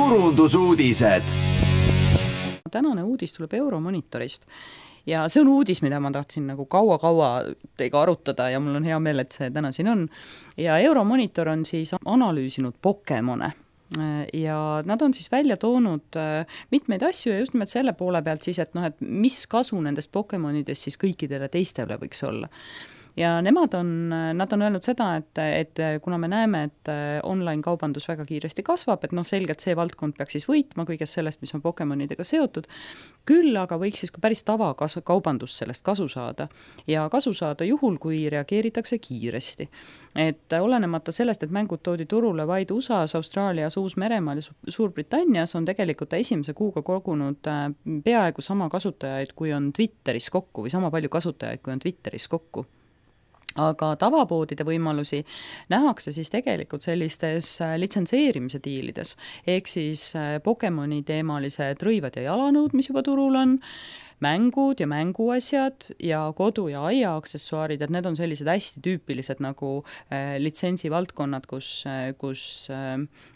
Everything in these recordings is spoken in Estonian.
turundusuudised. Tänane uudis tuleb Euromonitorist ja see on uudis, mida ma tahtsin nagu kaua teiega arutada ja mul on hea meel, et see täna siin on. Ja Euromonitor on siis analüüsinud Pokemone ja nad on siis välja toonud mitmeid asju ja just nimelt selle poole pealt siis, et mis kasu nendest Pokemonidest siis kõikidele teistele võiks olla. Ja nad on öelnud seda, et kuna me näeme, et online-kaubandus väga kiiresti kasvab, et selgelt see valdkond peaks siis võitma kõigest sellest, mis on Pokemonidega seotud, küll aga võiks siis ka päris tavakaubandus sellest kasu saada. Ja kasu saada juhul, kui reageeritakse kiiresti. Et olenemata sellest, et mängud toodi turule vaid USAs, Austraalias, Uus-Meremaal ja Suurbritannias, on tegelikult esimese kuuga kogunud peaaegu sama kasutajaid, kui on Twitteris kokku või sama palju kasutajaid, kui on Twitteris kokku. Aga tavapoodide võimalusi nähakse siis tegelikult sellistes litsenseerimise diilides, ehk siis Pokemoni teemalised rõivad ja jalanõud, mis juba turul on, mängud ja mänguasjad ja kodu- ja aiaaksessuaarid, et need on sellised hästi tüüpilised nagu litsensivaldkonnad, kus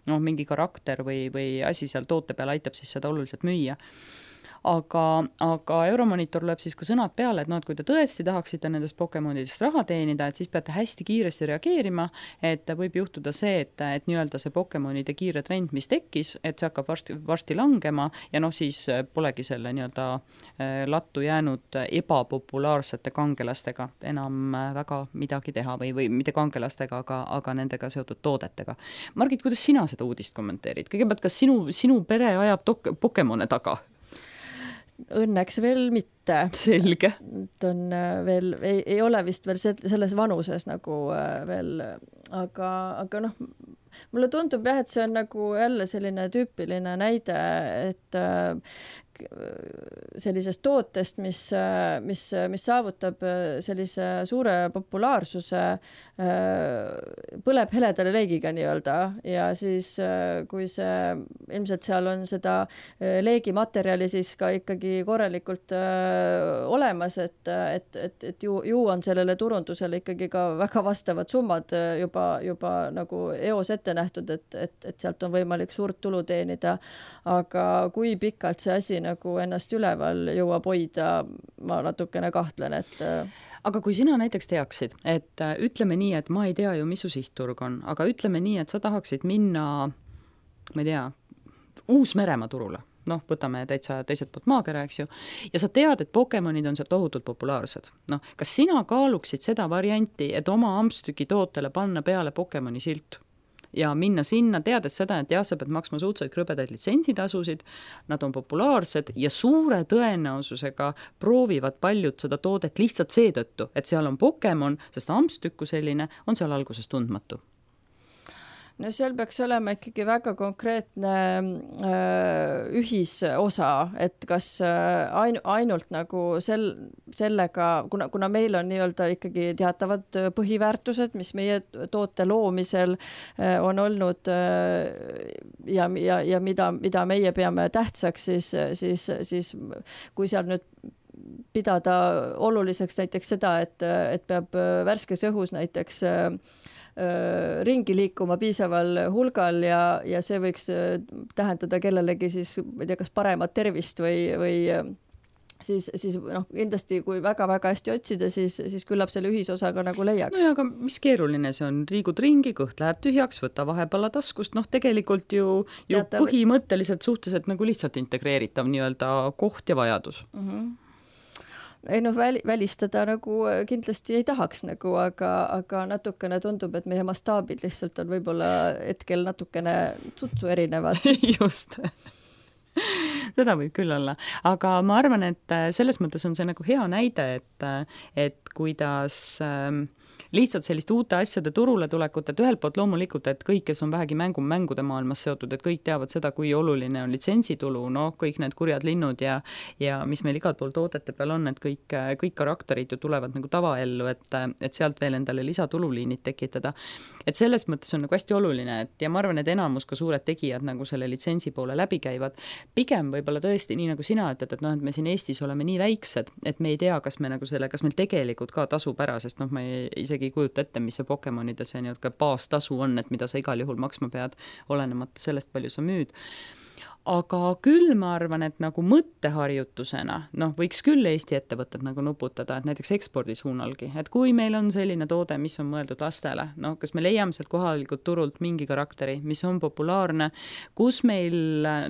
mingi karakter või asi seal toote peal aitab siis seda oluliselt müüa. Aga Euromonitor lööb siis ka sõnad peale, et kui te tõesti tahaksite nendest Pokemonidest raha teenida, et siis peate hästi kiiresti reageerima, et võib juhtuda see, et nii-öelda see Pokemonide kiire trend, mis tekkis, et see hakkab varsti langema ja siis polegi selle nii-öelda lattu jäänud ebapopulaarsete kangelastega enam väga midagi teha või mitte kangelastega, aga nendega seotud toodetega. Margit, kuidas sina seda uudist kommenteerid? Kõigepealt, kas sinu pere ajab Pokemone taga? Õnneks veel mitte. Selge. On veel, ei ole vist veel selles vanuses nagu veel, aga mulle tundub jah, et see on nagu jälle selline tüüpiline näide, et sellisest tootest, mis saavutab sellise suure populaarsuse, põleb heledale leegiga nii-öelda ja siis kui see ilmselt seal on seda leegimaterjali siis ka ikkagi korralikult olemas, et ju on sellele turundusele ikkagi ka väga vastavad summad juba nagu eos ette nähtud, et sealt on võimalik suurt tulu teenida, aga kui pikalt see asi nagu ennast üleval jõuab hoida, ma natukene kahtlen, et aga kui sina näiteks teaksid, et ütleme nii, et ma ei tea ju, mis su sihtturg on, aga ütleme nii, et sa tahaksid minna, ma ei tea, Uus-Meremaa turule, võtame täitsa teiselt poolt maakera, eks ju, ja sa tead, et Pokemonid on seal tohutult populaarsed. Kas sina kaaluksid seda varianti, et oma ampstüki tootele panna peale Pokemoni silt? Ja minna sinna, teades seda, et sa pead maksma suhteliselt krõbedaid litsentsitasusid, nad on populaarsed ja suure tõenäosusega proovivad paljud seda toodet lihtsalt seetõttu, et seal on Pokemon, sest ampstükku selline on seal alguses tundmatu. No seal peaks olema ikkagi väga konkreetne ühisosa, et kas ainult nagu sellega, kuna meil on nii-öelda ikkagi teatavad põhiväärtused, mis meie toote loomisel on olnud ja mida meie peame tähtsaks, siis kui seal nüüd pidada oluliseks näiteks seda, et peab värskes õhus näiteks ringi liikuma piisaval hulgal ja see võiks tähendada kellelegi siis, ma ei tea, kas paremat tervist või siis kindlasti kui väga-väga hästi otsida, siis küllap selle ühisosaga nagu leiaks. No ja aga mis keeruline see on? Liigud ringi, kõht läheb tühjaks, võtta vahepalla taskust, tegelikult ju põhimõtteliselt suhteliselt nagu lihtsalt integreeritav nii-öelda koht ja vajadus. Ei välistada nagu kindlasti ei tahaks nagu, aga natukene tundub, et meie mastaabid lihtsalt on võib-olla hetkel natukene tutsu erinevad. Just. Seda võib küll olla. Aga ma arvan, et selles mõttes on see nagu hea näide, et kuidas lihtsalt sellist uute asjade turule tulekut, et ühelt poolt loomulikult, et kõik, kes on vähegi mängude maailmas seotud, et kõik teavad seda, kui oluline on litsentsitulu, kõik need kurjad linnud ja mis meil igal pool toodete peal on, et kõik karakterid ju tulevad nagu tavaellu, et sealt veel endale lisatululiinid tekitada. Et selles mõttes on nagu hästi oluline, et ja ma arvan, et enamus ka suured tegijad nagu selle litsentsi poole läbi käivad. Pigem võib-olla tõesti, nii nagu sina ütled, et me siin Eestis oleme nii väiksed, et me ei tea, kas meil tegelikult ka tasub ära, sest ma isegi ei kujuta ette, mis see Pokemonide see baastasu on, et mida sa igal juhul maksma pead, olenemata sellest, palju sa müüd. aga küll ma arvan, et nagu mõtteharjutusena, võiks küll Eesti ettevõtted nagu nuputada, et näiteks ekspordi suunalgi, et kui meil on selline toode, mis on mõeldud lastele, kas me leiame sealt kohalikult turult mingi karakteri, mis on populaarne, kus meil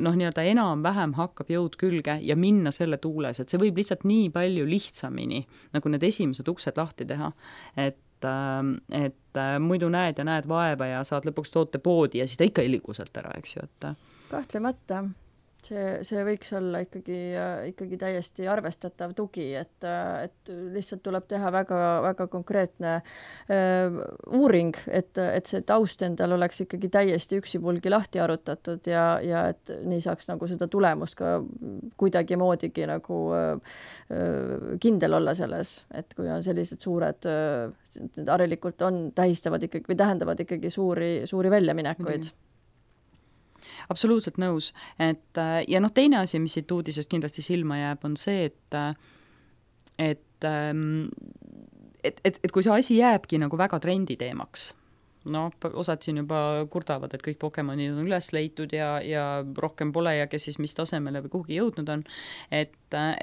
nii-öelda enam-vähem hakkab jõud külge ja minna selle tuules, et see võib lihtsalt nii palju lihtsamini nagu need esimesed uksed lahti teha, et muidu näed vaeva ja saad lõpuks toote poodi ja siis ta ikka ei liigu sealt ära, eks ju, et kahtlemata. See võiks olla ikkagi täiesti arvestatav tugi, et lihtsalt tuleb teha väga, väga konkreetne uuring, et see taust endal oleks ikkagi täiesti üksipulgi lahti arutatud ja et nii saaks nagu seda tulemust ka kuidagimoodigi nagu kindel olla selles, et kui on sellised suured, harilikult tähistavad ikkagi või tähendavad ikkagi suuri väljaminekuid. Absoluutselt nõus, et ja teine asi, mis siit uudisest kindlasti silma jääb, on see, et kui see asi jääbki nagu väga trenditeemaks, osad siin juba kurdavad, et kõik Pokemonid on üles leitud ja rohkem pole ja kes siis mis tasemele või kuhugi jõudnud on, et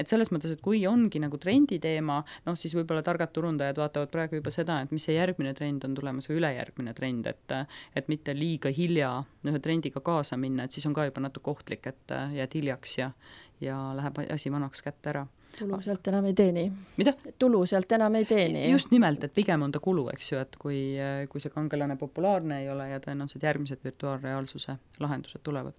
selles mõttes, et kui ongi nagu trenditeema, siis võib-olla targad turundajad vaatavad praegu juba seda, et mis see järgmine trend on tulemas või ülejärgmine trend, et mitte liiga hilja ühe trendiga kaasa minna, et siis on ka juba natuke ohtlik, et jääd hiljaks ja läheb asi vanaks kätte ära. Tulu sealt enam ei teeni. Mida? Tulu sealt enam ei teeni. Just nimelt, et pigem on ta kulu, eks ju, et kui see kangelane populaarne ei ole ja tõenäoliselt järgmised virtuaalreaalsuse lahendused tulevad.